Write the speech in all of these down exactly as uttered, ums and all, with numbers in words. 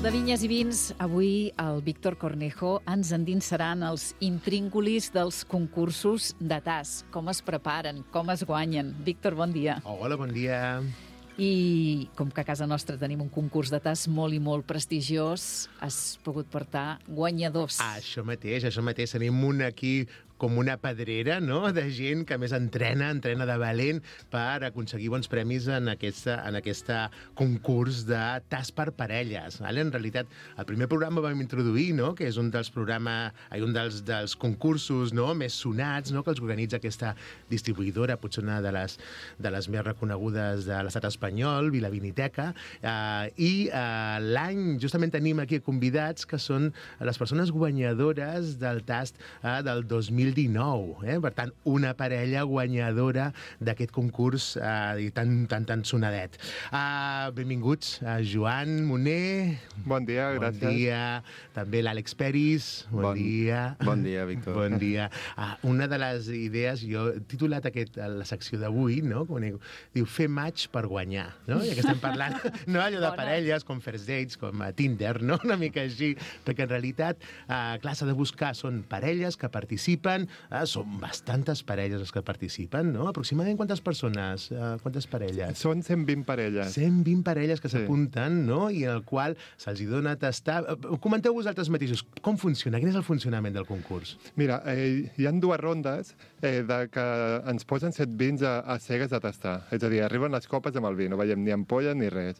de Vinyes i Vins, avui el Víctor Cornejo ens endinsaran els intríngulis dels concursos de tas. Com es preparen, com es guanyen. Víctor, bon dia. Hola, bon dia. I com que a casa nostra tenim un concurs de tas molt i molt prestigiós, has pogut portar guanyadors. Ah, això mateix, això mateix. Tenim un aquí com una pedrera, no?, de gent que més entrena, entrena de valent per aconseguir bons premis en aquesta, en aquesta concurs de tas per parelles. Vale? En realitat, el primer programa vam introduir, no?, que és un dels programes, un dels, dels concursos, no?, més sonats, no?, que els organitza aquesta distribuïdora, potser una de les, de les més reconegudes de l'estat espanyol, Vilaviniteca, eh, i eh, l'any justament tenim aquí convidats que són les persones guanyadores del tast eh, del dos mil dinou. Eh? Per tant, una parella guanyadora d'aquest concurs eh, tan, tan, tan sonadet. Uh, benvinguts a Joan Moner. Bon dia, gràcies. Bon dia. També l'Àlex Peris. Bon, bon dia. Bon dia, Víctor. Bon dia. Uh, una de les idees, jo he titulat aquest, la secció d'avui, no?, com diu, diu fer match per guanyar, no? Ja que estem parlant, no?, allò de Bona. parelles, com first dates, com a Tinder, no?, una mica així, perquè en realitat, uh, clar, s'ha de buscar, són parelles que participen. Ah, són bastantes parelles les que participen, no? Aproximadament quantes persones, uh, quantes parelles? Són cent vint parelles. cent vint parelles que Sí. s'apunten, no?, i en el qual se'ls hi dona a tastar. Uh, Comenteu vosaltres mateixos, com funciona? Quin és el funcionament del concurs? Mira, eh, hi ha dues rondes eh, de que ens posen set vins a, a cegues a tastar. És a dir, arriben les copes amb el vi, no veiem ni ampolla ni res.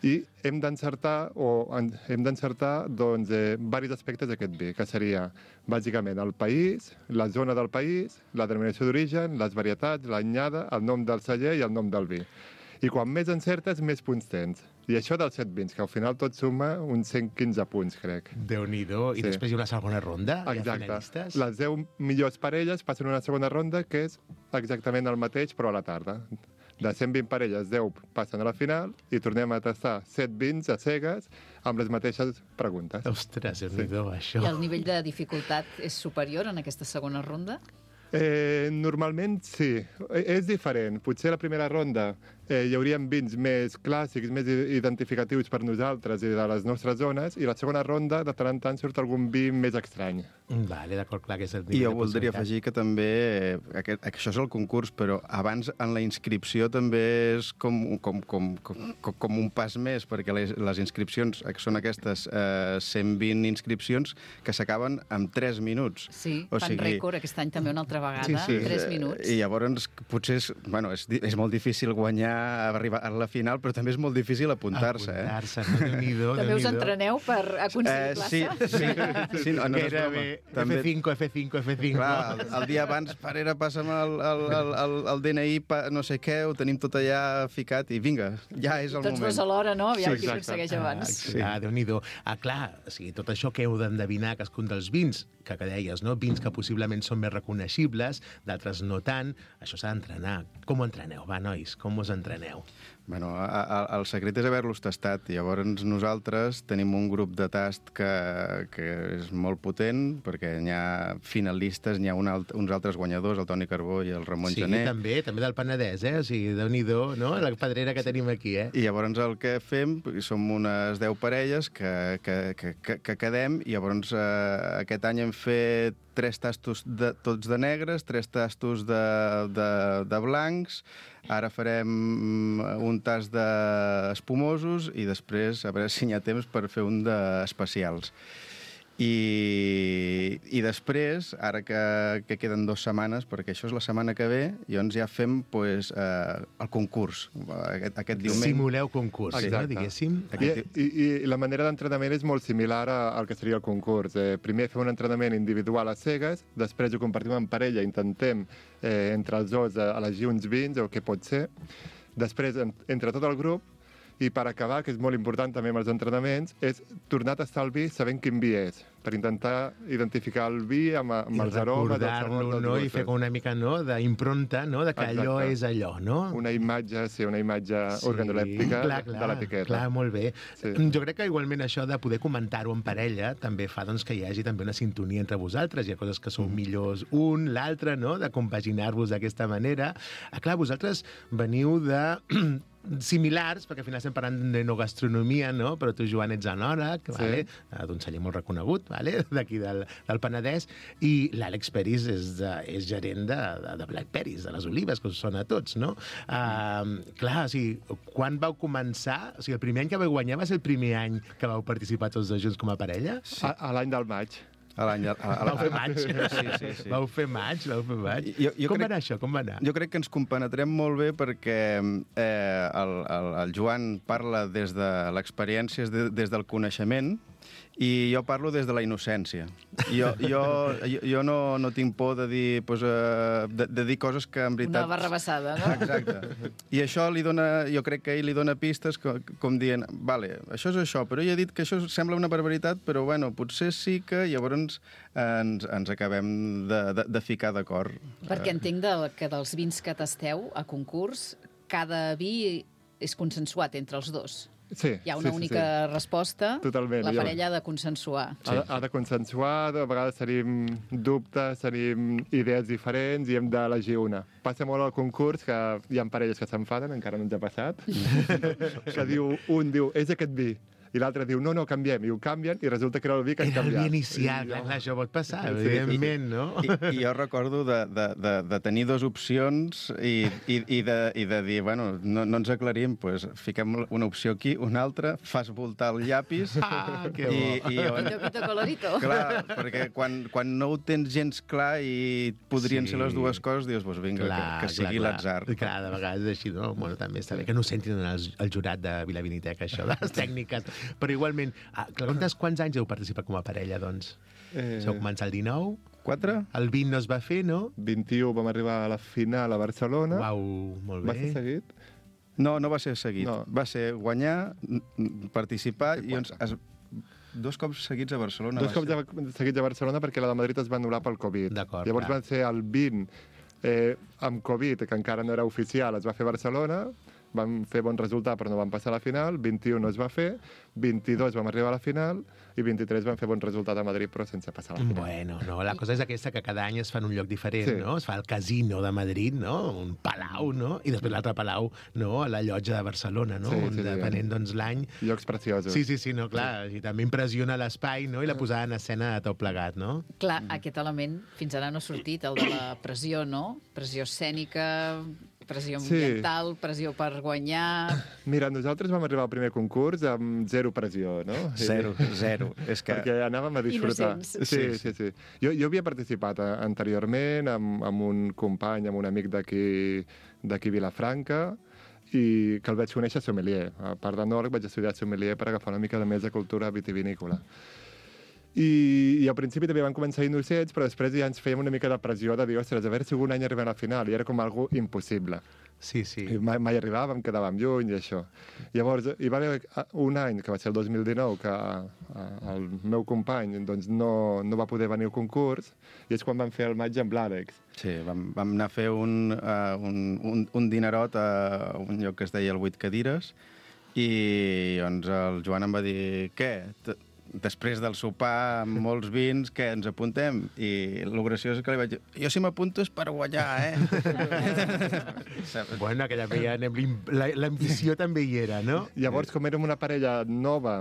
I hem d'encertar, o en, hem d'encertar, doncs, eh, diversos aspectes d'aquest vi, que seria, bàsicament, el país, la zona del país, la denominació d'origen, les varietats, l'anyada, el nom del celler i el nom del vi. I quan més encertes, més punts tens. I això dels set vins, que al final tot suma uns cent quinze punts, crec. Déu-n'hi-do. I Sí. després hi ha una segona ronda? Hi ha Exacte. finalistes? Les deu millors parelles passen a una segona ronda, que és exactament el mateix, però a la tarda. De cent vint parelles, deu passen a la final i tornem a tastar set vins a cegues amb les mateixes preguntes. Ostres, Déu-n'hi-do, això. I el nivell de dificultat és superior en aquesta segona ronda? Eh, normalment sí, Eh, és diferent. Potser a la primera ronda eh, hi haurien vins més clàssics, més i- identificatius per nosaltres i de les nostres zones, i la segona ronda de tant en tant surt algun vi més estrany. Vale, d'acord, clar que és el I nivell jo de voldria possibilitat. afegir que també, eh, aquest, això és el concurs, però abans en la inscripció també és com, com, com, com, com un pas més, perquè les, les inscripcions que són aquestes eh, cent vint inscripcions que s'acaben en tres minuts. Sí, O fan sigui, rècord aquesta any també una altra vegada, Sí, sí. tres Eh, minuts. I llavors potser és, bueno, és, di- és molt difícil guanyar, arribar a la final, però també és molt difícil apuntar-se. Eh? Apuntar-se, no? Déu-n'hi-do, També us Déu-n'hi-do. entreneu per aconseguir plaça? sí, sí, sí, no, no és broma. Gairebé També, F cinco, F cinco, F cinco. clar, el, el dia abans, parera, passa'm el, el, el, el, el D N I, pa, no sé què, ho tenim tot allà ficat i vinga, ja és el Tots moment. dos alhora, no? Aviam Sí, qui exacte. aconsegueix abans. Sí. Ah, Déu-n'hi-do. Ah, clar, o sigui, tot això que heu d'endevinar cadascun dels vins, que, que deies, no? Vins que possiblement són més reconeixibles, d'altres no tant, això s'ha d'entrenar. Com ho entreneu? Va, nois, com us entreneu? Bueno, a, a, el secret és haver-los tastat. Llavors nosaltres tenim un grup de tast que, que és molt potent, perquè n'hi ha finalistes, n'hi ha un alt, uns altres guanyadors, el Toni Carbó i el Ramon Sí, Gené. també, també del Penedès, eh? O sigui, Déu-n'hi-do, no? La pedrera que tenim aquí, eh? I llavors el que fem, som unes deu parelles que, que, que, que, que quedem, i llavors eh, aquest any hem fet tres tastos de, tots de negres, tres tastos de, de, de blancs, ara farem un tast d'espumosos i després a veure si hi ha temps per fer un d'especials. I, i després, ara que, que queden dues setmanes, perquè això és la setmana que ve, llavors ja fem pues, eh, el concurs, aquest, aquest diumenge. Simuleu concurs, Exacte. no? Diguéssim. I, i, I la manera d'entrenament és molt similar a- al que seria el concurs. Eh, primer fem un entrenament individual a cegues, després ho compartim en parella, intentem eh, entre els dos eh, elegir uns vins o què pot ser. Després, en, entre tot el grup, i per acabar, que és molt important també amb els entrenaments, és tornar a tastar el vi sabent quin vi és, per intentar identificar el vi amb, amb I els aromes, els recordar-lo, sabors, els no? I gustos. fer com una mica, no?, d'impronta, no?, de que allò Exacte. és allò, no? Una imatge, sí, una imatge organolèptica clar, clar, de l'etiqueta. Clar, molt bé. Sí. Jo crec que igualment això de poder comentar-ho en parella també fa doncs, que hi hagi també una sintonia entre vosaltres. Hi ha coses que sou millors un, l'altre, no?, de compaginar-vos d'aquesta manera. Ah, clar, vosaltres veniu de similars, perquè al final estem parlant d'enogastronomia, no? Però tu, Joan, ets enòleg, Sí. vale? d'un celler molt reconegut, vale? D'aquí del, del Penedès, i l'Àlex Peris és, de, és gerent de, de, de Black Peris, de les olives, que us sona a tots, no? Uh, clar, o sigui, quan vau començar? O sigui, el primer any que vau guanyar va ser el primer any que vau participar tots dos junts com a parella? Sí. A, a l'any del maig. A l'any... a- a- Vau fer maig? Sí, sí, sí. Vau fer maig, vau fer maig. Jo- jo Com crec- va anar això? Com va anar? Jo crec que ens compenetrem molt bé perquè eh, el, el, el Joan parla des de l'experiència, des, des del coneixement, i jo parlo des de la innocència. Jo, jo, jo, jo no, no tinc por de dir, pues, uh, de, de dir coses que en veritat... Una barrabassada, no? Exacte. I això li dona, jo crec que ell li dona pistes com, com dient, vale, això és això, però ell ha dit que això sembla una barbaritat, però bueno, potser sí que llavors ens, ens acabem de, de, de ficar d'acord. Perquè entenc de, que dels vins que tasteu a concurs, cada vi és consensuat entre els dos. Sí, Hi ha una sí, sí, única sí. resposta, Totalment, la ja. parella ha de consensuar. Ha, ha de consensuar, a vegades tenim dubtes, tenim idees diferents i hem d'elegir una. Passa molt al concurs que hi ha parelles que s'enfaden, encara no ens ha passat, que diu, un diu, és aquest vi, i l'altre diu, no, no, canviem, i ho canvien, i resulta que era el vi que han Era el canviat. vi inicial, I clar, jo- clar, això pot passar, Sí, evidentment, no? I, I jo recordo de, de, de, de tenir dues opcions i, i, i, de, i de dir, bueno, no, no ens aclarim, pues, fiquem una opció aquí, una altra, fas voltar el llapis... Ah, que i, bo. i on... Pito, pito, colorito. Clar, perquè quan, quan no ho tens gens clar i podrien Sí. ser les dues coses, dius, pues vinga, Clar, que, que sigui clar, l'atzar. clar. Clar, de vegades és així, no? Bueno, també està bé que no ho sentin el, el jurat de Vilaviniteca, això, de les tècniques. Però igualment, ah, quants, quants anys heu participat com a parella, doncs? Eh, Heu començat el dinou? Quatre? El vint no es va fer, no? vint-i-u vam arribar a la final a Barcelona. Uau, molt Va ser bé. seguit? No, no va ser seguit. No. Va ser guanyar, n- n- participar i doncs es, dos cops seguits a Barcelona. Dos va cops ser. ja seguits a Barcelona perquè la de Madrid es va anul·lar pel Covid. D'acord, Llavors clar. van ser el vint eh, amb Covid, que encara no era oficial, es va fer a Barcelona, vam fer bon resultat però no vam passar a la final, vint-i-u no es va fer, vint-i-dos vam arribar a la final i vint-i-tres vam fer bon resultat a Madrid però sense passar a la final. Bueno, no, la cosa és aquesta, que cada any es fa en un lloc diferent, Sí. no? Es fa al Casino de Madrid, no? Un palau, no? I després l'altre palau, no? A la llotja de Barcelona, no? Sí, On, sí, sí. depenent, doncs, l'any... Llocs preciosos. Sí, sí, sí, no, clar. I també impressiona l'espai, no? I la posada en escena de tot plegat, no? Clar, aquest element fins ara no ha sortit, el de la pressió, no? Pressió escènica, pressió Sí. ambiental, pressió per guanyar... Mira, nosaltres vam arribar al primer concurs amb zero pressió, no? Zero, zero. És que... Perquè anàvem a disfrutar. Innocents. Sí, sí, sí. Jo, jo havia participat a, anteriorment amb, amb un company, amb un amic d'aquí d'aquí Vilafranca, i que el vaig conèixer sommelier. A part d'enòleg vaig estudiar sommelier per agafar una mica de més de cultura vitivinícola. I, I al principi també van començar innocents, però després ja ens fèiem una mica de pressió de dir, ostres, a veure si algun any arribem a la final, i era com algo impossible. Sí, sí. I mai, mai arribàvem, quedàvem lluny i això. Llavors, hi va haver un any, que va ser el dos mil dinou, que a, a, el meu company doncs, no, no va poder venir al concurs, i és quan vam fer el maig amb l'Àlex. Sí, vam, vam anar a fer un, uh, un, un, un dinerot a un lloc que es deia el Vuit Cadires, i doncs el Joan em va dir, què? T- Després del sopar amb molts vins, què, ens apuntem? I el graciós és que li vaig dir, jo si m'apunto és per guanyar, eh? Bueno, aquella veia, la- l'ambició també hi era, no? Llavors, com érem una parella nova,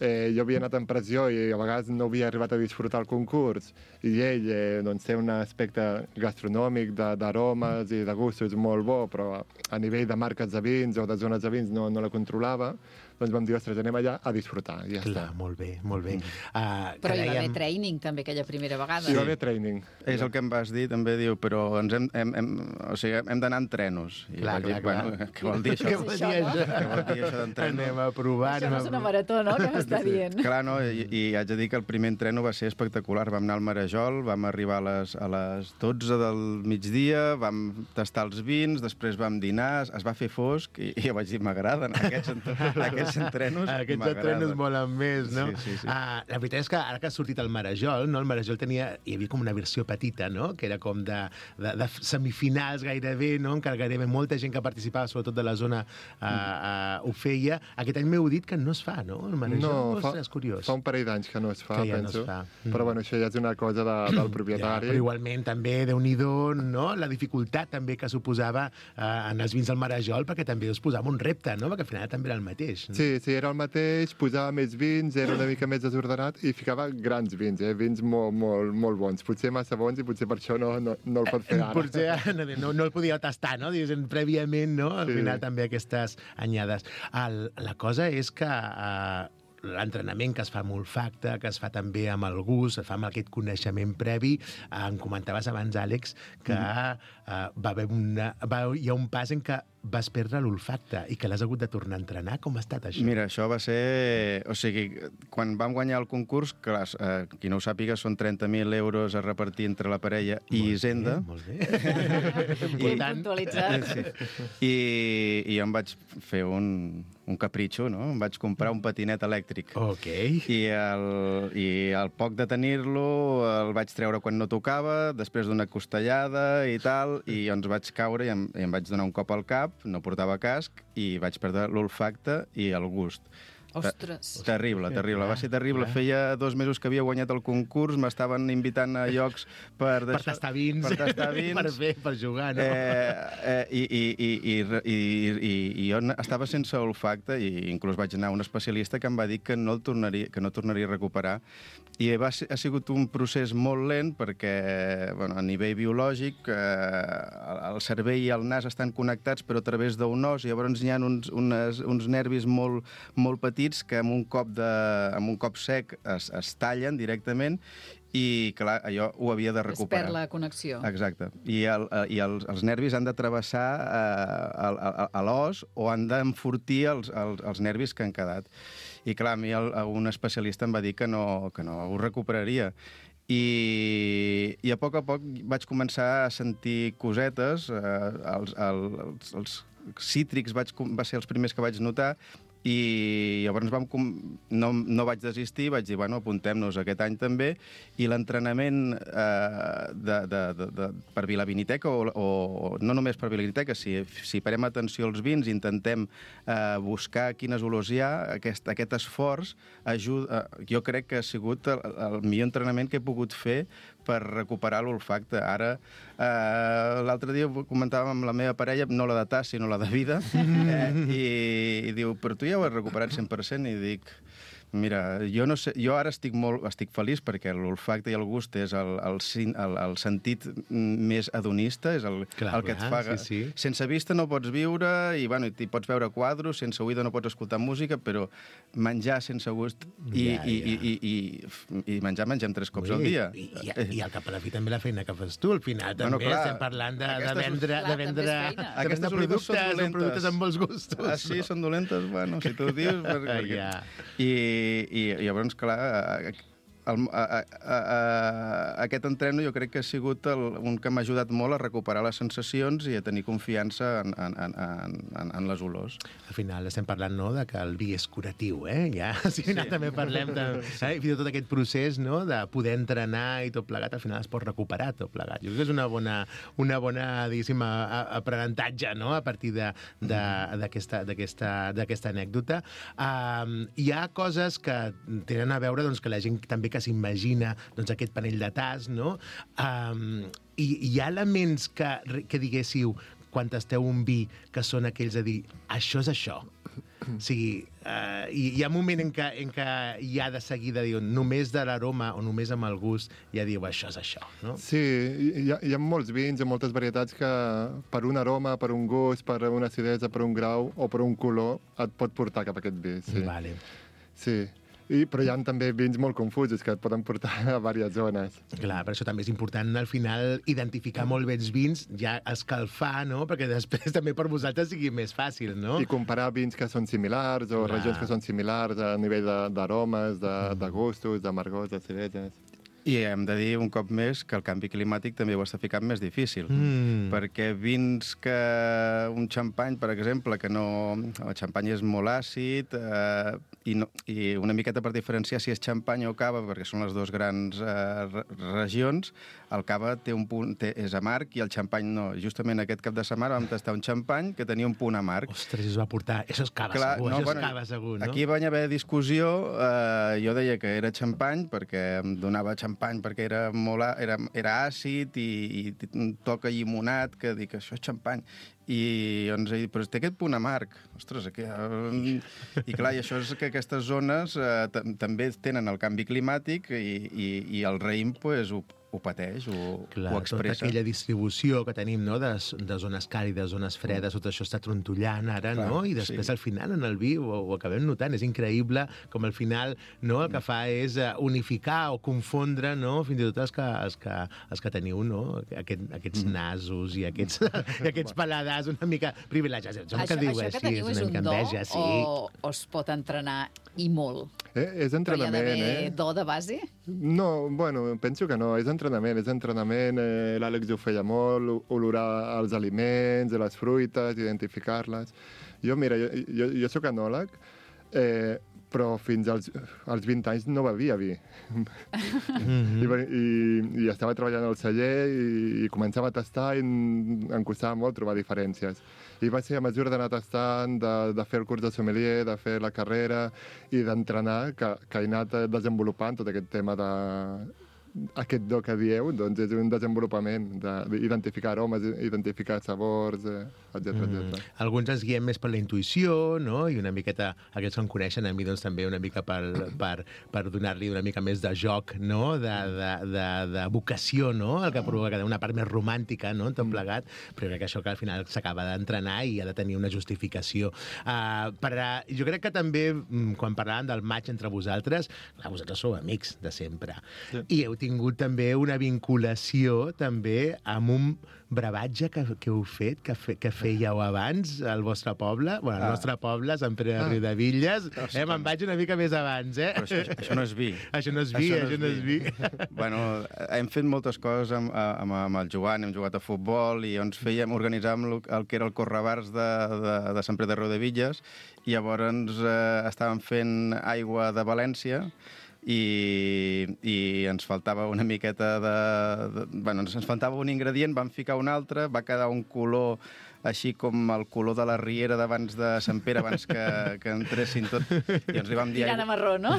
eh, jo havia anat en pressió i a vegades no havia arribat a disfrutar el concurs, i ell eh, doncs, té un aspecte gastronòmic, de- d'aromes i de gustos molt bo, però a nivell de marques de vins o de zones de vins no, no la controlava, doncs vam dir, ostres, anem allà a disfrutar, i ja Clar, està. molt bé, molt bé. Uh, Però hi va haver training també aquella primera vegada. Hi va haver training. És el que em vas dir, també diu, però ens hem, hem, hem, o sigui, hem d'anar en trenos. I Clar, vaig dir, clar, clar. Bueno, què vol dir això? Què vol dir Això, no? això? Què vol dir això d'entreno? Anem a provar, Això anem no a és una provar. marató, no?, que m'està dient. Clar, no? I, I haig de dir que el primer entreno va ser espectacular. Vam anar al Marajol, vam arribar a les, a les dotze del migdia, vam tastar els vins, després vam dinar, es va fer fosc, i, i jo vaig dir, m'agraden aquests, ent aquests aquests entrenos Aquests m'agraden. entrenos molen més, no? Sí, sí, sí. Uh, la veritat és que ara que ha sortit el Marajol, no? El Marajol tenia, hi havia com una versió petita, no? Que era com de, de, de semifinals gairebé, no? Encara gairebé molta gent que participava, sobretot de la zona, uh, uh, ho feia. Aquest any m'heu dit que no es fa, no? El Marajol, No, fa, és curiós. fa un parell d'anys que no es fa, Que ja no penso. es fa. Mm. Però bueno, això ja és una cosa de, del propietari. Ja, però igualment també, Déu-n'hi-do, no? La dificultat també que suposava eh, en els vins del Marajol, perquè també us posava un repte, no? Perquè al final també era el mateix. No? Sí, sí, era el mateix, posava més vins, era una mica més desordenat i ficava grans vins, eh? Vins molt, molt, molt bons. Potser massa bons i potser per això no, no, no el pot fer ara. Potser no, no el podia tastar, no? Diguéssim, prèviament, no? Al Sí. final també aquestes anyades. El, la cosa és que eh, l'entrenament que es fa amb olfacte, que es fa també amb el gust, es fa amb aquest coneixement previ. Eh, em comentaves abans, Àlex, que mm. eh, va haver una, va, hi ha un pas en què vas perdre l'olfacte i que l'has hagut de tornar a entrenar. Com ha estat això? Mira, això va ser... O sigui, quan vam guanyar el concurs, clar, eh, qui no ho sàpiga, són trenta mil euros a repartir entre la parella i Molt Hisenda. Bé, molt bé. Important. Puntualitzat. Sí. I, I jo em vaig fer un, un capritxo, no? Em vaig comprar un patinet elèctric. Ok. I el, i al poc de tenir-lo el vaig treure quan no tocava, després d'una costellada i tal, i ens vaig caure i em, i em vaig donar un cop al cap, no portava casc, i vaig perdre l'olfacte i el gust. Ostres. Terrible, terrible. Va ser terrible. clar. Feia dos mesos que havia guanyat el concurs, m'estaven invitant a llocs per... Per tastar vins. Per tastar vins. per fer, per jugar, no? Eh, eh, i, i, i, i, i, i, i jo estava sense olfacte i inclús vaig anar a un especialista que em va dir que no el tornaria, que no tornaria a recuperar. I va ser, ha sigut un procés molt lent perquè, bueno, a nivell biològic, eh, el cervell i el nas estan connectats però a través d'un os, i llavors hi ha uns, unes, uns nervis molt, molt petits que amb un cop, de, amb un cop sec es, es tallen directament i, clar, allò ho havia de Es recuperar. perd la connexió. Exacte. I, el, i els, els nervis han de travessar eh, a, a, a l'os o han d'enfortir els, els, els nervis que han quedat. I, clar, a mi el, un especialista em va dir que no, que no ho recuperaria. I, i a poc a poc vaig començar a sentir cosetes, eh, els, els, els cítrics vaig, va ser els primers que vaig notar, i llavors vam, no, no vaig desistir, vaig dir, bueno, apuntem-nos aquest any també, i l'entrenament eh, de, de, de, de, per Vilaviniteca, o, o no només per Vilaviniteca, si, si parem atenció als vins, intentem eh, buscar quines olors hi ha, aquest, aquest esforç ajuda, eh, jo crec que ha sigut el, el millor entrenament que he pogut fer per recuperar l'olfacte. Ara, eh, l'altre dia comentàvem amb la meva parella, no la de tas, sinó la de vida, eh, i, i diu, però tu ja ho has recuperat cent per cent, i dic, mira, jo, no sé, jo ara estic molt estic feliç perquè l'olfacte i el gust és el, el, el, el sentit més hedonista, és el, clar, el que et clar, fa... sí, sí. Sense vista no pots viure, i bueno, hi pots veure quadros, sense oïda no pots escoltar música, però menjar sense gust i, Ja, i, ja. i, i, i, i menjar mengem tres cops Ui, al dia. I, i, I al cap a la fi també la feina que fas tu. Al final també Bueno, clar, estem parlant de, de aquestes- vendre, Clar, de també és vendre, feina. de vendre Aquestes olives són productes, són dolentes. productes amb molts gustos. Ah, sí, són dolentes? Bueno, si tu ho dius... Perquè... Ja. I, i, I llavors, clar, el, a, a, a, a, aquest entreno jo crec que ha sigut el, un que m'ha ajudat molt a recuperar les sensacions i a tenir confiança en, en, en, en, en les olors. Al final estem parlant, no?, de que el vi és curatiu, eh? Ja, al final sí. també parlem de... Eh? Fins i tot aquest procés, no?, de poder entrenar i tot plegat, al final es pot recuperar tot plegat. Jo crec que és una bona, una bona diguéssim, a- a- aprenentatge, no?, a partir de- de- d'aquesta d'aquesta anècdota. Um, hi ha coses que tenen a veure, doncs, que la gent també que s'imagina, doncs, aquest panell de tas, no? Um, i hi ha elements que, que diguéssiu, quan tasteu un vi, que són aquells a dir, això és això. O sigui, uh, hi, hi ha un moment en què, en què hi ha de seguida, diu, només de l'aroma o només amb el gust, ja diu, això és això, no? Sí, hi ha, hi ha molts vins i moltes varietats que per un aroma, per un gust, per una acidesa, per un grau o per un color et pot portar cap a aquest vi. Sí. Vale. Sí. I, però hi ha també vins molt confusos que et poden portar a diverses zones. Clar, per això també és important al final identificar molt bé els vins, ja escalfar, no? Perquè després també per vosaltres sigui més fàcil, no? I comparar vins que són similars o Clar. regions que són similars a nivell de- d'aromes, de, de, de gustos, d'amargors, d'acideses. I hem de dir un cop més que el canvi climàtic també ho està ficant més difícil, Mm. perquè vins que un xampany, per exemple, que no... El xampany és molt àcid, eh, i, no, i una miqueta per diferenciar si és xampany o cava, perquè són les dues grans eh, re- regions, el cava té un punt, té, és amarg i el xampany no. Justament aquest cap de setmana vam tastar un xampany que tenia un punt amarg. Ostres, es va portar... Això és cava Clar, segur, no, això bueno, és cava segur, no? Aquí va haver discussió, eh, jo deia que era xampany perquè em donava xampany perquè era, molt, a- era, era àcid i, i un toc llimonat, que dic, això és xampany. I ens ha dit, però té aquest punt amarg. Ostres, aquí... Eh, I clar, i això és que aquestes zones eh, tam- també tenen el canvi climàtic i, i, i el raïm pues, ho, ho pateix, ho, Clar, ho tota expressa. aquella distribució que tenim, no?, de, de zones càlides, zones fredes, tot això està trontollant ara, Clar, no? I després, sí. al final, en el vi, ho, ho acabem notant. És increïble com al final, no?, el que fa és eh, unificar o confondre, no?, fins i tot els que, els que, els que teniu, no?, Aquest, aquests nasos i aquests, i aquests paladars una mica privilegiats. Això, Això, que diu això així, que teniu és una un mica do enveja, sí. o, o es pot entrenar i molt? Eh, és Però hi ha entrenament, d'haver eh? do de base? No, bueno, penso que no, és entrenament, és entrenament, eh, l'Àlex ho feia molt, olorar els aliments, les fruites, identificar-les. Jo, mira, jo, jo, jo soc enòleg, eh, però fins als, als vint anys no bevia vi. Mhm. I, i, I estava treballant al celler i, i començava a tastar i em, em costava molt trobar diferències. I va ser a mesura d'anar tastant, de, de fer el curs de sommelier, de fer la carrera i d'entrenar, que, que he anat desenvolupant tot aquest tema de... Aquest do que dieu, doncs és un desenvolupament d'identificar aromes, identificar sabors, eh, etcètera, etcètera. Mm. Alguns ens guiem més per la intuïció, no?, i una miqueta, aquests que em coneixen, a mi doncs també una mica per, per, per donar-li una mica més de joc, no?, de, de, de, de vocació, no?, el que provoca una part més romàntica, no?, tot plegat, però crec que això que al final s'acaba d'entrenar i ha de tenir una justificació. Uh, per, uh, jo crec que també, mm, quan parlàvem del maig entre vosaltres, clar, vosaltres sou amics de sempre, sí. I heu tingut també una vinculació també amb un brevatge que, que heu fet, que, fe, que fèieu abans al vostre poble, bueno, al Ah. nostre poble, Sant Pere de Ah. Riudevilles. Ah, sí, Eh, me'n vaig una mica més abans, eh? Però això, això no és vi. Això no és vi, Això no això és no és vi. Bueno, hem fet moltes coses amb, amb, amb el Joan, hem jugat a futbol i ens fèiem, organitzàvem el, el que era el correbars de, de, de Sant Pere de Riudevilles i llavors eh, estàvem fent aigua de València i, i ens faltava una miqueta de, de... Bueno, ens, ens faltava un ingredient, vam ficar un altre, va quedar un color així com el color de la riera d'abans de Sant Pere, abans que, que entressin tot. I ens li vam dir... Tirant a marró, no?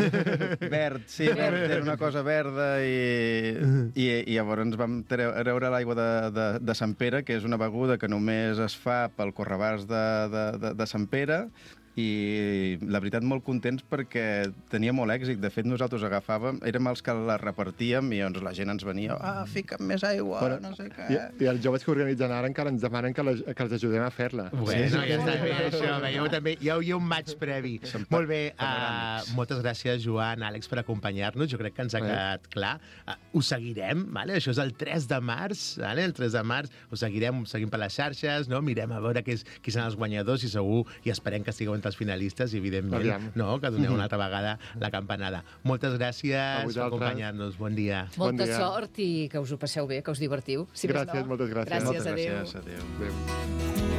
Verd, sí, verd, era una cosa verda i, i, i llavors ens vam treure l'aigua de, de, de Sant Pere, que és una beguda que només es fa pel correbars de, de, de, de Sant Pere, i la veritat molt contents perquè tenia molt èxit. De fet, nosaltres agafàvem, érem els que la repartíem i doncs la gent ens venia, ah, fica'm més aigua, Bueno, no sé què. I, I els joves que organitzen ara encara ens demanen que, la, que els ajudem a fer-la. Bueno, ja està bé, això. Veieu, també hi ha, hi ha un maig previ. Molt bé, uh, moltes gràcies, Joan, Àlex, per acompanyar-nos. Jo crec que ens ha quedat clar. Uh, ho seguirem, vale? Això és el tres de març, vale? El tres de març ho seguirem, ho seguim per les xarxes, no? Mirem a veure qui, és, qui són els guanyadors i segur, i esperem que estigueu entre els finalistes i, evidentment, Aviam. no? Que doneu una altra vegada la campanada. Moltes gràcies per acompanyar-nos. Bon dia. Bon Molta dia. sort i que us ho passeu bé, que us divertiu. Si més Gràcies, no. moltes gràcies. Gràcies, Moltes adéu. gràcies, adéu. Adéu.